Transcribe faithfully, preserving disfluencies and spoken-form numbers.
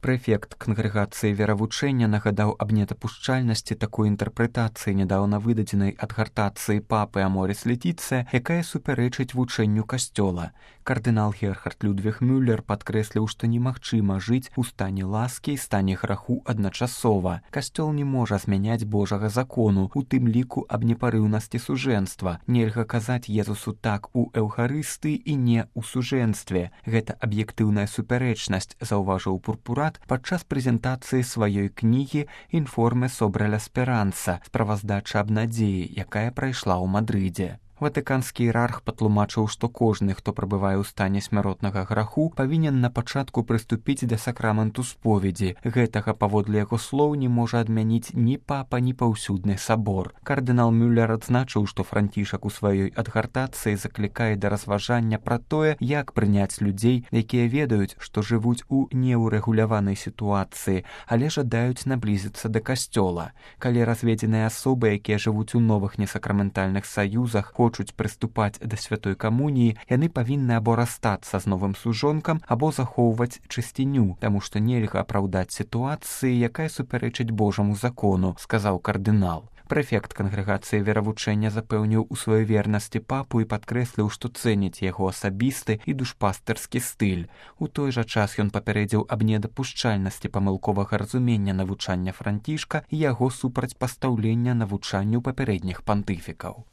Прэфект кангрэгацыі веравучэння нагадаў аб недапушчальнасці такой інтэрпрэтацыі нядаўна выдадзенай адгартацыі папы Аморіс Летіцыя, якая супярэчыць вучэнню касцёла. Кардынал Герхард Людвіг Мюллер падкрэсліў, што немагчыма жыць у стане ласкі і стане граху адначасова. Касцёл не можа змяняць Божага закону, у тым ліку аб непарыўнасці сужэнства. Нельга казаць Езусу так у эўхарыстыі і не ў сужэнстве. Гэта аб'ектыўная супярэчнасць, заўважыў Пурпурат падчас прэзентацыі сваёй кнігі «Інформе sobre la speranza» справаздача аб надзеі, якая прайшла ў Мадрыдзе. Ватыканскі іерарх патлумачыў, што кожны, хто прабывае ў стане смяротнага граху, павінен на пачатку прыступіць да сакраменту споведзі. Гэтага, паводле яго слоў, не можа адмяніць ні папа, ні паўсюдны сабор. Кардынал Мюллер адзначыў, што Францішак у сваёй адгартацыі заклікае да разважання пра тое, як прыняць людзей, якія ведаюць, што жывуць у неўрэгуляванай сітуацыі, але жадаюць наблізіцца да касцёла. Калі разведзеныя асобы, якія жывуць у новых несакраментальных саюзах, хочуць прыступаць да святой камуніі, яны павінны або расстацца з новым сужонкам, або захоўваць чысціню, таму што нельга апраўдаць сітуацыі, якая супярэчыць Божаму закону, сказаў кардынал. Прэфект кангрэгацыі веравучэння запэўніў у сваёй вернасці папу і падкрэсліў, што цэніць яго асабісты і душпастырскі стыль. У той жа час ён папярэдзіў аб недапушчальнасці памылковага разумення навучання Францішка і яго супрацьпастаўлення навучанню папярэдніх пантыфікаў.